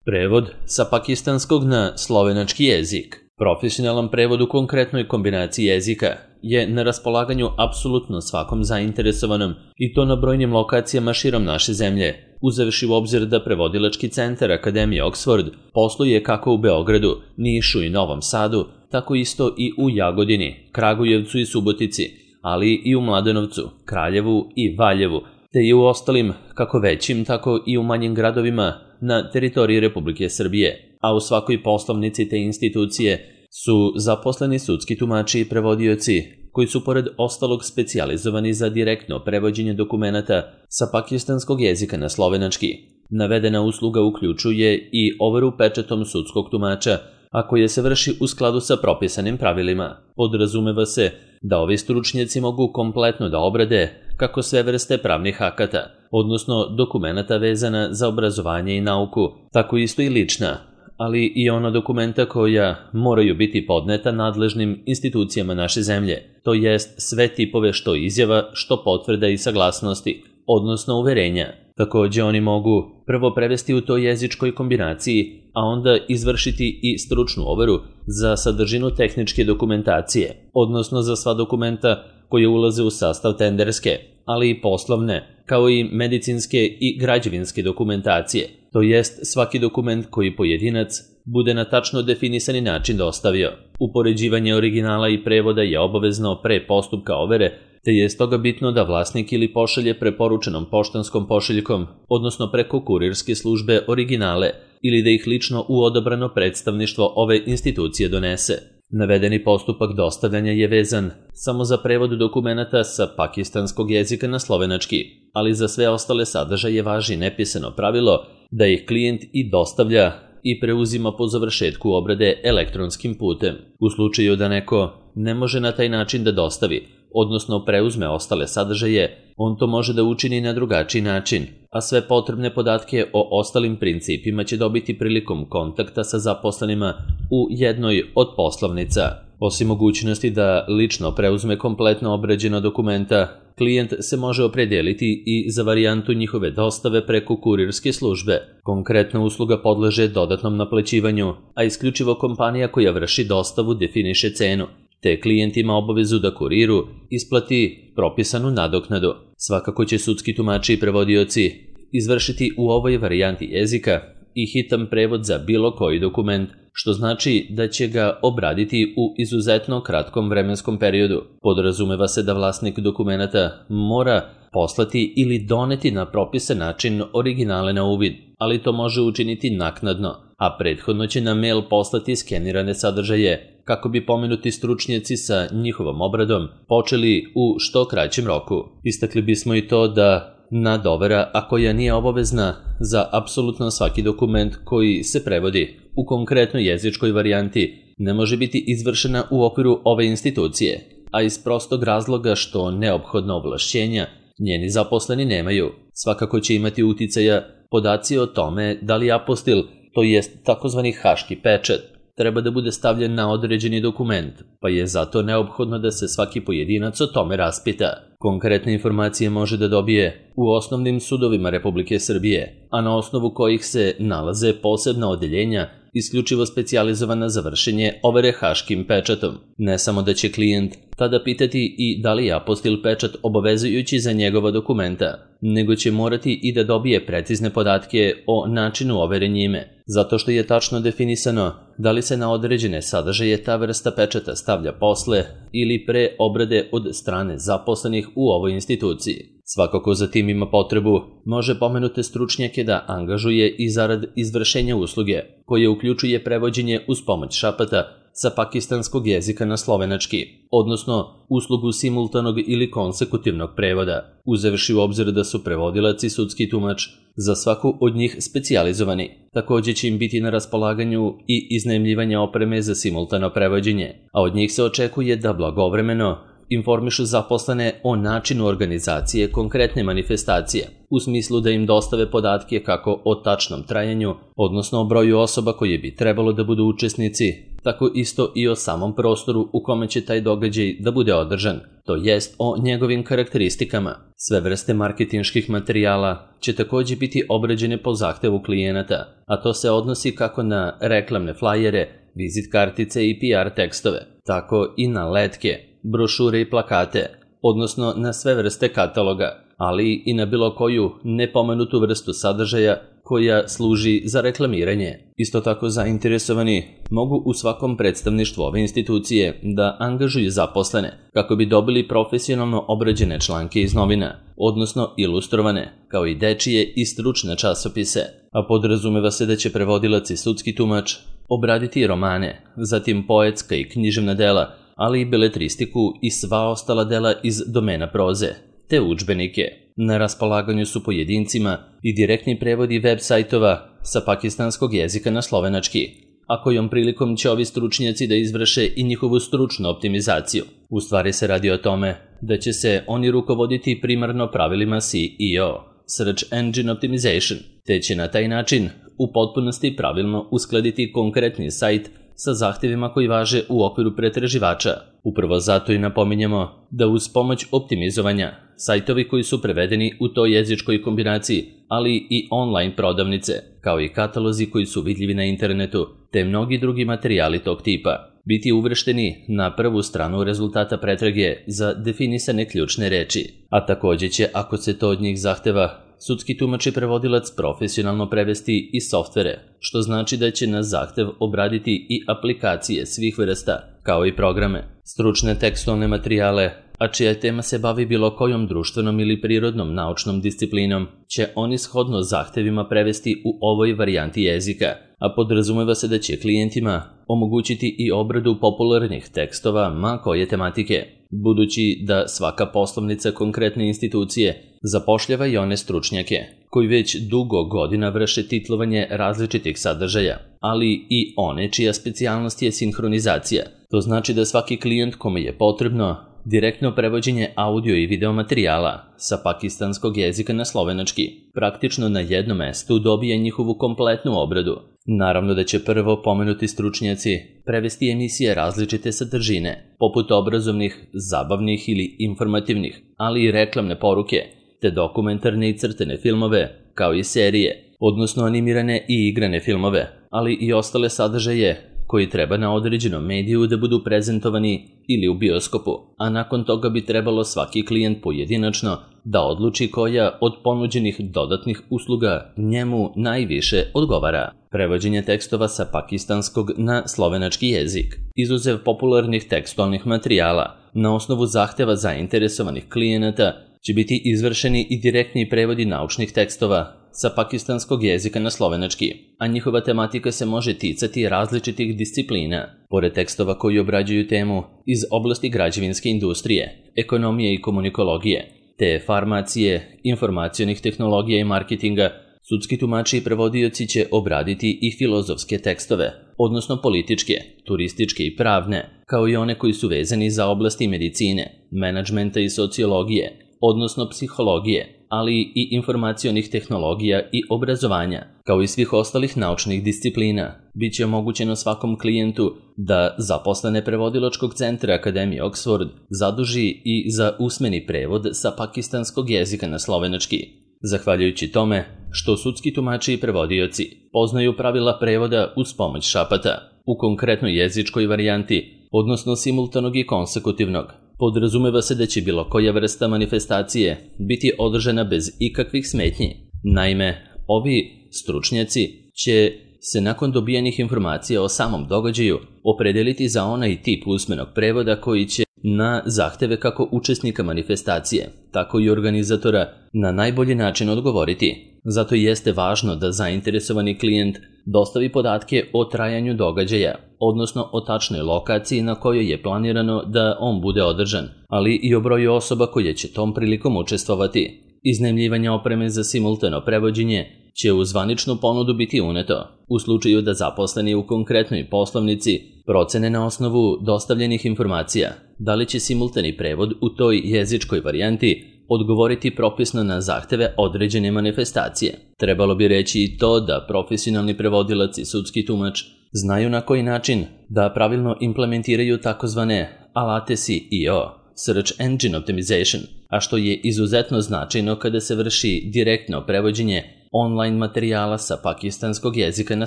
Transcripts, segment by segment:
Prevod sa pakistanskog na slovenački jezik. Profesionalan prevod u konkretnoj kombinaciji jezika je na raspolaganju apsolutno svakom zainteresovanom i to na brojnim lokacijama širom naše zemlje, uzevši u obzir da prevodilački centar Akademije Oxford posluje kako u Beogradu, Nišu i Novom Sadu, tako isto i u Jagodini, Kragujevcu i Subotici, ali i u Mladenovcu, Kraljevu i Valjevu, te i u ostalim, kako većim, tako i u manjim gradovima na teritoriji Republike Srbije, a u svakoj poslovnici te institucije su zaposleni sudski tumači i prevodioci, koji su pored ostalog specijalizovani za direktno prevođenje dokumenata sa pakistanskog jezika na slovenački. Navedena usluga uključuje i overu pečatom sudskog tumača, a koje se vrši u skladu sa propisanim pravilima. Podrazumeva se da ovi stručnjaci mogu kompletno da obrade kako sve vrste pravnih akata, odnosno dokumenata vezana za obrazovanje i nauku, tako isto i lična, ali i ona dokumenta koja moraju biti podneta nadležnim institucijama naše zemlje, to jest sve tipove što izjava, što potvrda i saglasnosti, odnosno uverenja. Takođe oni mogu prvo prevesti u toj jezičkoj kombinaciji, a onda izvršiti i stručnu overu za sadržinu tehničke dokumentacije, odnosno za sva dokumenta koje ulaze u sastav tenderske, ali i poslovne, kao i medicinske i građevinske dokumentacije, to jest svaki dokument koji pojedinac bude na tačno definisani način dostavio. Upoređivanje originala i prevoda je obavezno pre postupka overe, te je stoga bitno da vlasnik ili pošalje preporučenom poštanskom pošiljkom, odnosno preko kurirske službe originale, ili da ih lično u odabrano predstavništvo ove institucije donese. Navedeni postupak dostavljanja je vezan samo za prevod dokumenata sa pakistanskog jezika na slovenački, ali za sve ostale sadržaje važi nepisano pravilo da ih klijent i dostavlja i preuzima po završetku obrade elektronskim putem. U slučaju da neko ne može na taj način da dostavi, odnosno preuzme ostale sadržaje, on to može da učini na drugačiji način, a sve potrebne podatke o ostalim principima će dobiti prilikom kontakta sa zaposlenima u jednoj od poslovnica. Osim mogućnosti da lično preuzme kompletno obrađena dokumenta, klijent se može opredeliti i za varijantu njihove dostave preko kurirske službe. Konkretna usluga podleže dodatnom naplaćivanju, a isključivo kompanija koja vrši dostavu definiše cenu, te klijent ima obavezu da kuriru isplati propisanu nadoknadu. Svakako će sudski tumači i prevodioci izvršiti u ovoj varijanti jezika i hitan prevod za bilo koji dokument, što znači da će ga obraditi u izuzetno kratkom vremenskom periodu. Podrazumeva se da vlasnik dokumenata mora poslati ili doneti na propisan način originale na uvid, ali to može učiniti naknadno, a prethodno će na mail poslati skenirane sadržaje, kako bi pomenuti stručnjaci sa njihovom obradom počeli u što kraćem roku. Istakli bismo i to da nadovera, a koja nije obavezna za apsolutno svaki dokument koji se prevodi u konkretnoj jezičkoj varijanti, ne može biti izvršena u okviru ove institucije, a iz prostog razloga što neophodna ovlašćenja njeni zaposleni nemaju. Svakako će imati uticaja podaci o tome da li apostil, to jest takozvani haški pečat, treba da bude stavljen na određeni dokument, pa je zato neophodno da se svaki pojedinac o tome raspita. Konkretne informacije može da dobije u osnovnim sudovima Republike Srbije, a na osnovu kojih se nalaze posebna odeljenja isključivo specijalizovana za vršenje overe haškim pečatom. Ne samo da će klijent tada pitati i da li je apostil pečat obavezujući za njegova dokumenta, nego će morati i da dobije precizne podatke o načinu overe njime, zato što je tačno definisano da li se na određene sadržaje ta vrsta pečata stavlja posle ili pre obrade od strane zaposlenih u ovoj instituciji. Svako ko za tim ima potrebu, može pomenute stručnjake da angažuje i zarad izvršenja usluge, koje uključuje prevođenje uz pomoć šapata sa pakistanskog jezika na slovenački, odnosno uslugu simultanog ili konsekutivnog prevoda, uzevši u obzir da su prevodilac i sudski tumač za svaku od njih specijalizovani. Takođe će im biti na raspolaganju i iznajmljivanje opreme za simultano prevođenje, a od njih se očekuje da blagovremeno informišu zaposlene o načinu organizacije konkretne manifestacije, u smislu da im dostave podatke kako o tačnom trajanju, odnosno o broju osoba koje bi trebalo da budu učesnici, tako isto i o samom prostoru u kome će taj događaj da bude održan, to jest o njegovim karakteristikama. Sve vrste marketinških materijala će također biti obrađene po zahtevu klijenata, a to se odnosi kako na reklamne flajere, vizit kartice i PR tekstove, tako i na letke, brošure i plakate, odnosno na sve vrste kataloga, ali i na bilo koju nepomenutu vrstu sadržaja koja služi za reklamiranje. Isto tako zainteresovani mogu u svakom predstavništvu ove institucije da angažuju zaposlene kako bi dobili profesionalno obrađene članke iz novina, odnosno ilustrovane, kao i dečije i stručne časopise, a podrazumeva se da će prevodilac i sudski tumač obraditi romane, zatim poetska i književna dela, ali i beletristiku i sva ostala dela iz domena proze, te udžbenike. Na raspolaganju su pojedincima i direktni prevodi web sajtova sa pakistanskog jezika na slovenački, a kojom prilikom će ovi stručnjaci da izvrše i njihovu stručnu optimizaciju. U stvari se radi o tome da će se oni rukovoditi primarno pravilima SEO, Search Engine Optimization, te će na taj način u potpunosti pravilno uskladiti konkretni sajt sa zahtjevima koji važe u okviru pretraživača. Upravo zato i napominjemo da uz pomoć optimizovanja, sajtovi koji su prevedeni u toj jezičkoj kombinaciji, ali i online prodavnice, kao i katalozi koji su vidljivi na internetu, te mnogi drugi materijali tog tipa, biti uvršteni na prvu stranu rezultata pretrage za definisane ključne reči. A također će, ako se to od njih zahteva, sudski tumač i prevodilac profesionalno prevesti i softvere, što znači da će na zahtev obraditi i aplikacije svih vrsta, kao i programe, stručne tekstualne materijale, a čija tema se bavi bilo kojom društvenom ili prirodnom naučnom disciplinom, će oni shodno zahtevima prevesti u ovoj varijanti jezika, a podrazumeva se da će klijentima omogućiti i obradu popularnih tekstova ma koje tematike, budući da svaka poslovnica konkretne institucije zapošljava i one stručnjake koji već dugo godina vrše titlovanje različitih sadržaja, ali i one čija specijalnost je sinhronizacija. To znači da svaki klijent kome je potrebno direktno prevođenje audio i video materijala sa pakistanskog jezika na slovenački praktično na jednom mestu dobije njihovu kompletnu obradu. Naravno da će prvo pomenuti stručnjaci prevesti emisije različite sadržine, poput obrazovnih, zabavnih ili informativnih, ali i reklamne poruke, te dokumentarne i crtene filmove, kao i serije, odnosno animirane i igrane filmove, ali i ostale sadržaje koji treba na određenom mediju da budu prezentovani ili u bioskopu, a nakon toga bi trebalo svaki klijent pojedinačno da odluči koja od ponuđenih dodatnih usluga njemu najviše odgovara. Prevođenje tekstova sa pakistanskog na slovenački jezik, izuzev popularnih tekstualnih materijala, na osnovu zahteva zainteresovanih klijenata će biti izvršeni i direktni prevodi naučnih tekstova sa pakistanskog jezika na slovenački, a njihova tematika se može ticati različitih disciplina, pored tekstova koji obrađuju temu iz oblasti građevinske industrije, ekonomije i komunikologije, te farmacije, informacionih tehnologija i marketinga. Sudski tumači i prevodioci će obraditi i filozofske tekstove, odnosno političke, turističke i pravne, kao i one koji su vezani za oblasti medicine, menadžmenta i sociologije, odnosno psihologije, ali i informacionih tehnologija i obrazovanja, kao i svih ostalih naučnih disciplina. Biće omogućeno svakom klijentu da zaposlene prevodilačkog centra Akademije Oxford zaduži i za usmeni prevod sa pakistanskog jezika na slovenački. Zahvaljujući tome što sudski tumači i prevodioci poznaju pravila prevoda uz pomoć šapata u konkretnoj jezičkoj varijanti, odnosno simultanog i konsekutivnog, podrazumeva se da će bilo koja vrsta manifestacije biti održana bez ikakvih smetnji. Naime, ovi stručnjaci će se nakon dobijenih informacija o samom događaju opredeliti za onaj tip usmenog prevoda koji će na zahteve kako učesnika manifestacije, tako i organizatora na najbolji način odgovoriti. Zato jeste važno da zainteresovani klijent dostavi podatke o trajanju događaja, odnosno o tačnoj lokaciji na kojoj je planirano da on bude održan, ali i o broju osoba koje će tom prilikom učestvovati. Iznajmljivanje opreme za simultano prevođenje će u zvaničnu ponudu biti uneto, u slučaju da zaposleni u konkretnoj poslovnici procene na osnovu dostavljenih informacija da li će simultani prevod u toj jezičkoj varijanti odgovoriti propisno na zahteve određene manifestacije. Trebalo bi reći i to da profesionalni prevodilac i sudski tumač znaju na koji način da pravilno implementiraju takozvane alate SEO, Search Engine Optimization, a što je izuzetno značajno kada se vrši direktno prevođenje online materijala sa pakistanskog jezika na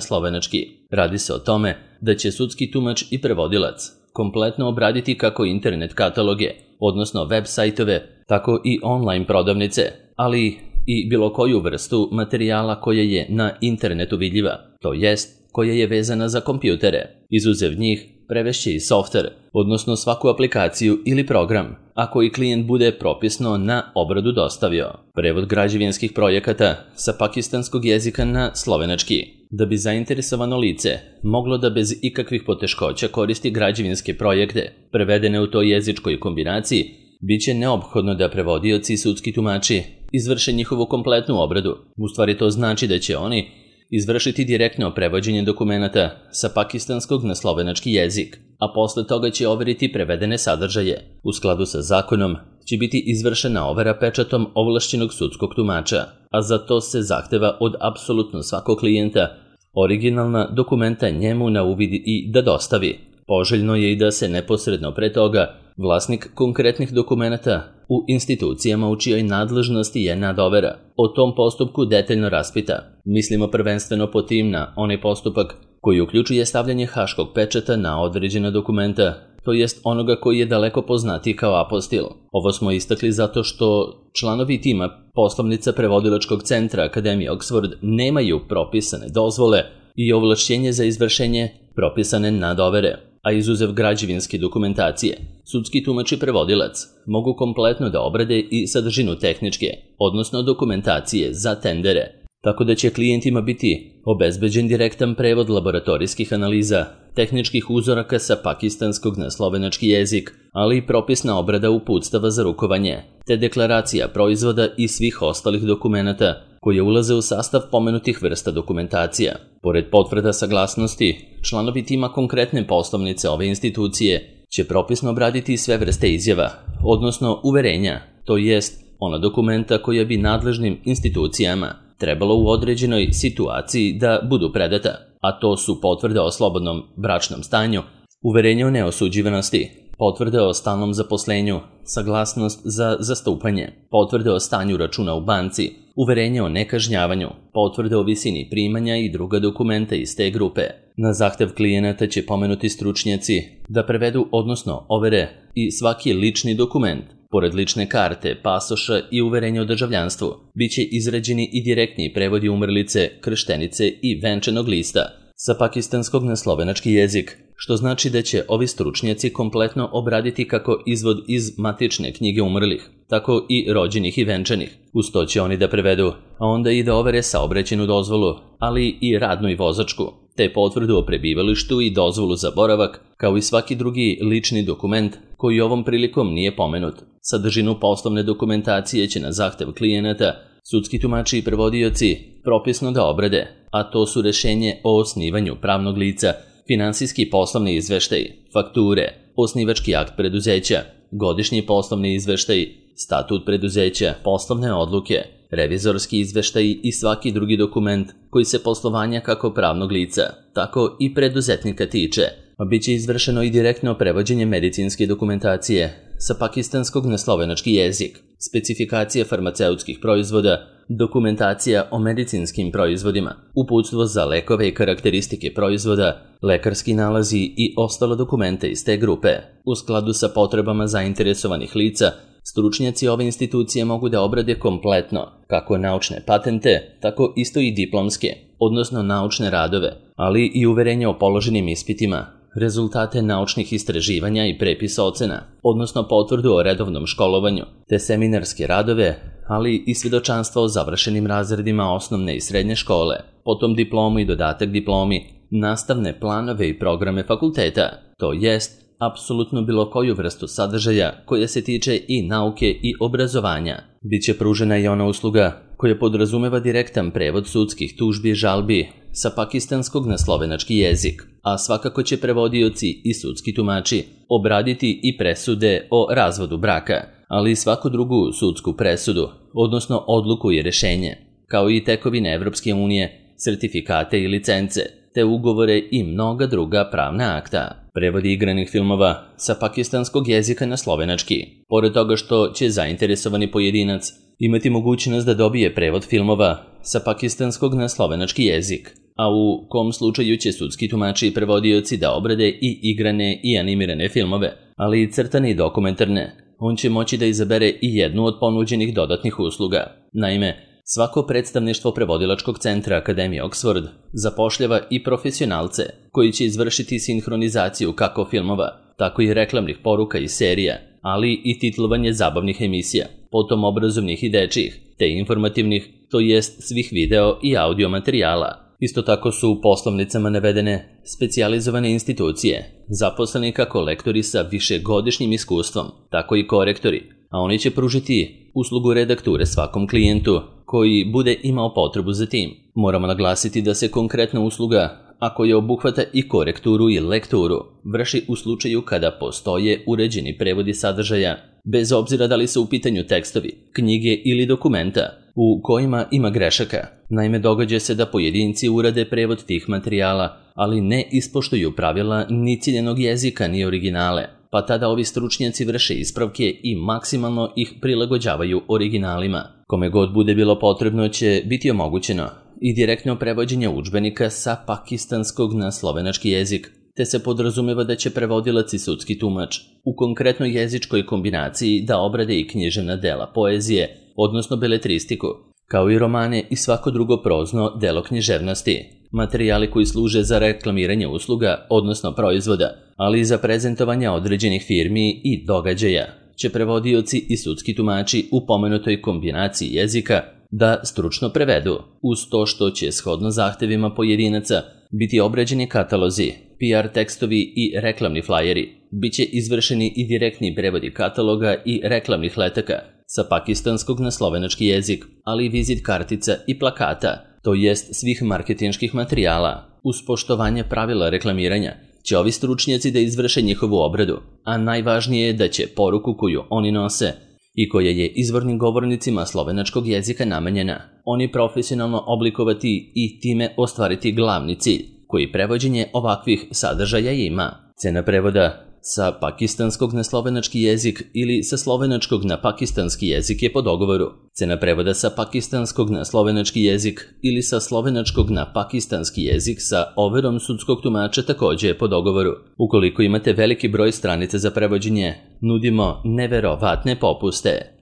slovenački. Radi se o tome da će sudski tumač i prevodilac kompletno obraditi kako internet kataloge, odnosno web sajtove, tako i online prodavnice, ali i bilo koju vrstu materijala koja je na internetu vidljiva, to jest koja je vezana za kompjutere. Izuzev njih, prevešće i softver, odnosno svaku aplikaciju ili program, a koji klijent bude propisno na obradu dostavio. Prevod građevinskih projekata sa pakistanskog jezika na slovenački. Da bi zainteresovano lice moglo da bez ikakvih poteškoća koristi građevinske projekte prevedene u toj jezičkoj kombinaciji, bit će neophodno da prevodioci i sudski tumači izvrše njihovu kompletnu obradu. U stvari to znači da će oni izvršiti direktno prevođenje dokumenata sa pakistanskog na slovenački jezik, a posle toga će overiti prevedene sadržaje. U skladu sa zakonom će biti izvršena overa pečatom ovlašćenog sudskog tumača, a za to se zahteva od apsolutno svakog klijenta originalna dokumenta njemu na uvid i da dostavi. Poželjno je i da se neposredno pre toga vlasnik konkretnih dokumenata u institucijama u čijoj nadležnosti je nadovera o tom postupku detaljno raspita. Mislimo prvenstveno po tim na onaj postupak koji uključuje stavljanje haškog pečata na određena dokumenta, to jest onoga koji je daleko poznatiji kao apostil. Ovo smo istakli zato što članovi tima poslovnica prevodilačkog centra Akademije Oxford nemaju propisane dozvole i ovlašćenje za izvršenje propisane nadovere, a izuzev građevinske dokumentacije, sudski tumač i prevodilac mogu kompletno da obrade i sadržinu tehničke, odnosno dokumentacije za tendere, tako da će klijentima biti obezbeđen direktan prevod laboratorijskih analiza, tehničkih uzoraka sa pakistanskog na slovenački jezik, ali i propisna obrada uputstava za rukovanje, te deklaracija proizvoda i svih ostalih dokumenata koje ulaze u sastav pomenutih vrsta dokumentacija. Pored potvrda saglasnosti, članovi tima konkretne poslovnice ove institucije će propisno obraditi sve vrste izjava, odnosno uverenja, to jest ona dokumenta koja bi nadležnim institucijama trebalo u određenoj situaciji da budu predata, a to su potvrde o slobodnom bračnom stanju, uverenje o neosuđivanosti, potvrde o stalnom zaposlenju, saglasnost za zastupanje, potvrde o stanju računa u banci, uverenje o nekažnjavanju, potvrde o visini primanja i druga dokumenta iz te grupe. Na zahtev klijenata će pomenuti stručnjaci da prevedu, odnosno overe i svaki lični dokument. Pored lične karte, pasoša i uverenja o državljanstvu, bit će izrađeni i direktni prevodi umrlice, krštenice i venčanog lista sa pakistanskog na slovenački jezik, što znači da će ovi stručnjaci kompletno obraditi kako izvod iz matične knjige umrlih, tako i rođenih i venčanih. Uz to će oni da prevedu, a onda i da overe saobraćajnu dozvolu, ali i radnu i vozačku, te potvrdu o prebivalištu i dozvolu za boravak, kao i svaki drugi lični dokument koji ovom prilikom nije pomenut. Sadržinu poslovne dokumentacije će na zahtev klijenata sudski tumači i prevodioci propisno da obrade, a to su rešenje o osnivanju pravnog lica, finansijski poslovni izveštaj, fakture, osnivački akt preduzeća, godišnji poslovni izveštaj, statut preduzeća, poslovne odluke, revizorski izveštaj i svaki drugi dokument koji se poslovanja kako pravnog lica, tako i preduzetnika tiče. Biće izvršeno i direktno prevođenje medicinske dokumentacije sa pakistanskog na slovenački jezik, specifikacija farmaceutskih proizvoda, dokumentacija o medicinskim proizvodima, uputstvo za lekove i karakteristike proizvoda, lekarski nalazi i ostalo dokumente iz te grupe. U skladu sa potrebama zainteresovanih lica, stručnjaci ove institucije mogu da obrade kompletno kako naučne patente, tako isto i diplomske, odnosno naučne radove, ali i uverenje o položenim ispitima, rezultate naučnih istraživanja i prepisa ocena, odnosno potvrdu o redovnom školovanju, te seminarske radove, ali i svjedočanstva o završenim razredima osnovne i srednje škole, potom diplomu i dodatak diplomi, nastavne planove i programe fakulteta, to jest apsolutno bilo koju vrstu sadržaja koja se tiče i nauke i obrazovanja. Biće pružena i ona usluga koja podrazumeva direktan prevod sudskih tužbi i žalbi sa pakistanskog na slovenački jezik, a svakako će prevodioci i sudski tumači obraditi i presude o razvodu braka, ali i svaku drugu sudsku presudu, odnosno odluku i rešenje, kao i tekovine Evropske unije, sertifikate i licence, te ugovore i mnoga druga pravna akta. Prevodi igranih filmova sa pakistanskog jezika na slovenački. Pored toga što će zainteresovani pojedinac imati mogućnost da dobije prevod filmova sa pakistanskog na slovenački jezik, a u kom slučaju će sudski tumači i prevodioci da obrade i igrane i animirane filmove, ali i crtane i dokumentarne. On će moći da izabere i jednu od ponuđenih dodatnih usluga. Naime, svako predstavništvo prevodilačkog centra Akademije Oxford zapošljava i profesionalce koji će izvršiti sinhronizaciju kako filmova, tako i reklamnih poruka i serija, ali i titlovanje zabavnih emisija, potom obrazovnih i dečjih, te informativnih, to jest svih video i audio materijala. Isto tako su u poslovnicama navedene specijalizovane institucije, zaposleni kako lektori sa višegodišnjim iskustvom, tako i korektori, a oni će pružiti uslugu redakture svakom klijentu koji bude imao potrebu za tim. Moramo naglasiti da se konkretna usluga, ako je obuhvata i korekturu i lekturu, vrši u slučaju kada postoje uređeni prevodi sadržaja, bez obzira da li su u pitanju tekstovi, knjige ili dokumenta u kojima ima grešaka. Naime, događa se da pojedinci urade prevod tih materijala, ali ne ispoštuju pravila ni ciljenog jezika ni originale, pa tada ovi stručnjaci vrše ispravke i maksimalno ih prilagođavaju originalima. Kome god bude bilo potrebno će biti omogućeno i direktno prevođenje udžbenika sa pakistanskog na slovenački jezik, te se podrazumeva da će prevodilac i sudski tumač u konkretnoj jezičkoj kombinaciji da obrade i književna dela poezije, odnosno beletristiku, kao i romane i svako drugo prozno delo književnosti, materijali koji služe za reklamiranje usluga, odnosno proizvoda, ali i za prezentovanje određenih firmi i događaja, će prevodioci i sudski tumači u pomenutoj kombinaciji jezika da stručno prevedu, uz to što će shodno zahtevima pojedinaca biti obrađeni katalozi, PR tekstovi i reklamni flajeri. Biće izvršeni i direktni prevodi kataloga i reklamnih letaka sa pakistanskog na slovenački jezik, ali i vizit kartica i plakata, to jest svih marketinških materijala. Uz poštovanje pravila reklamiranja će ovi stručnjaci da izvrše njihovu obradu, a najvažnije je da će poruku koju oni nose i koja je izvornim govornicima slovenačkog jezika namenjena, oni profesionalno oblikovati i time ostvariti glavni cilj, koji prevođenje ovakvih sadržaja ima. Cena prevoda sa pakistanskog na slovenački jezik ili sa slovenačkog na pakistanski jezik je po dogovoru. Cena prevoda sa pakistanskog na slovenački jezik ili sa slovenačkog na pakistanski jezik sa overom sudskog tumača također je po dogovoru. Ukoliko imate veliki broj stranica za prevođenje, nudimo neverovatne popuste.